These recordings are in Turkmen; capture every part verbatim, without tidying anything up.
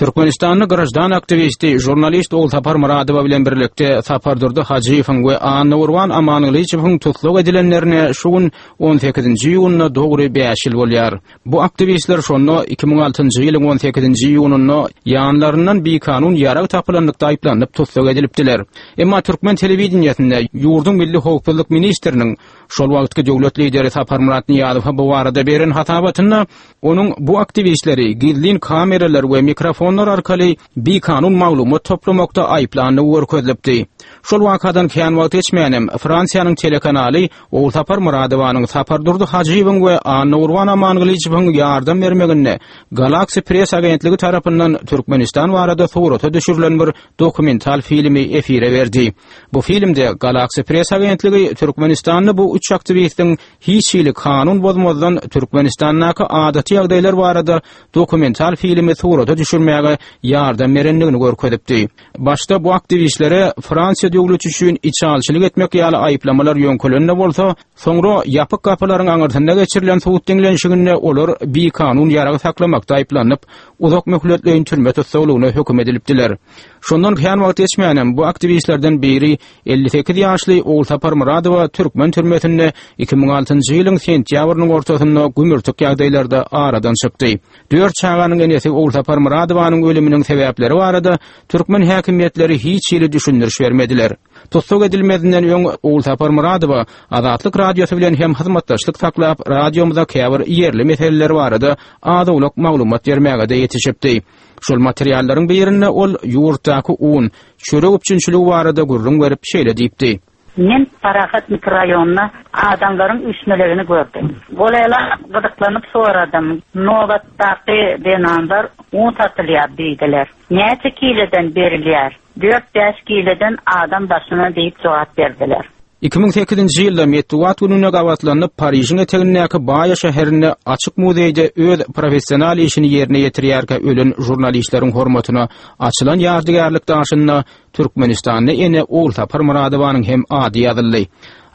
Türkmenistanda graždan aktiwisti, žurnalist Ogulsapar Myradowa bilen birlikde Sapardurdy Hajyýewiň we Annagurban Amangylyjowyň tussag edilenlerine şu gün on sekizinji iýunda dogry bäş ýyl bolýar. Bu aktiwistler şonda iki müň altynjy ýylyň on sekizinji iýunynda ýanlaryndan bikanun ýarag tapylanlykda aýyplanyp tussag edilipdiler. Emma türkmen telewideniýesinde ýurduň Milli Howpsuzlyk ministriniň şol wagtky döwlet lideri Saparmyrat Nyýazowa bu barada beren hasabatynda onuň bu aktiwistleri gizlin kameralar we mikrofonlar arkaly bikanun maglumat toplamakda aýyplandygy görkezilipdi. Şol wakadan kän wagt geçmänem Fransiýanyň telekanaly Ogulsapar Myradowanyň, Sapardurdy Hajyýewiň we Annagurban Amangylyjowyň ýardam bermeginde Galaxy Press agentligi tarapyndan Türkmenistan barada surata düşürilen bir dokumental filmi efire berdi. Bu filmde Galaxy Press agentligi Türkmenistanda bu üç aktiwistiň hiç hili kanun bozmazdan Türkmenistandaky adaty ýagdaýlar barada dokumental filmi surata düşürmäge ýardam berendigini görkezipdi. Başda bu aktiwistlere Fransiýa döwleti üçin içalçylyk etmek ýaly aýyplamalar ýöňkelende bolsa, soňra ýapyk gapylaryň aňyrsynda geçirilen sud diňlenişiginde olar bikanun ýarag saklamakda aýyplanyp, uzak möhletleýin türme tussaglygyna höküm edilipdiler. Şondan kän wagt geçmänem bu aktiwistlerden biri elli sekiz ýaşly Ogulsapar Myradowa türkmen türmesinde iki müň altynjy ýylyň sentýabrynyň ortasynda gümürtik ýagdaýlarda aradan çykdy. Dört çaganyň enesi Ogulsapar Myradowanyň ölüminiň sebäpleri barada türkmen häkimiýetleri hiç hili düşündiriş bermediler. Tussag edilmezinden öň Ogulsapar Myradowa Azatlyk Radiosy bilen hem hyzmatdaşlyk saklap, radiomyza käbir ýerli meseleler barada az-owlak maglumat bermäge-de ýetişipdi. Şol materiallaryň birinde ol ýurtdaky un, çörek üpjünçiligi barada gürrüň berip şeýle diýipdi. Men Parahat mikrorayonuna adamlaryň üýşmelegini gördüm. Golaýla gyzyklanyp soradym. Nobatdaky zenanlar un satylýar diýdiler. Näçe kileden berilýär? Dört-bäş kileden adam başyna diýip jogap berdiler. Iki müň sekizinji ýylda metbugat gününe gabatlanyp Parižiň etegindäki Baýa şäherinde açyk muzeýde öz professional işini ýerine ýetirýärkä ölen žurnalistleriň hormatyna açylan ýadygärlik daşynda Türkmenistanda ene Ogulsapar Myradowanyň hem ady ýazyldy.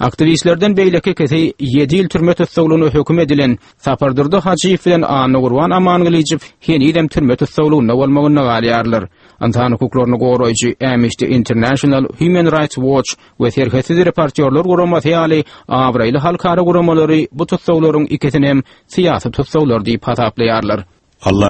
Aktiwistlerden beýleki ikisi ýedi ýyl türme tussaglygyna höküm edilen Sapardurdy Hajyýew bilen Annagurban Amangylyjow henizem türme tussaglygynda bolmagynda galýarlar. Ynsan hukuklaryny goraýjy Amnesty International, Human Rights Watch we Serhetsiz reportýorlar guramasy ýaly abraýly halkara guramalary bu tussaglaryň ikisini hem syýasy tussaglar diýip hasaplaýarlar. Allah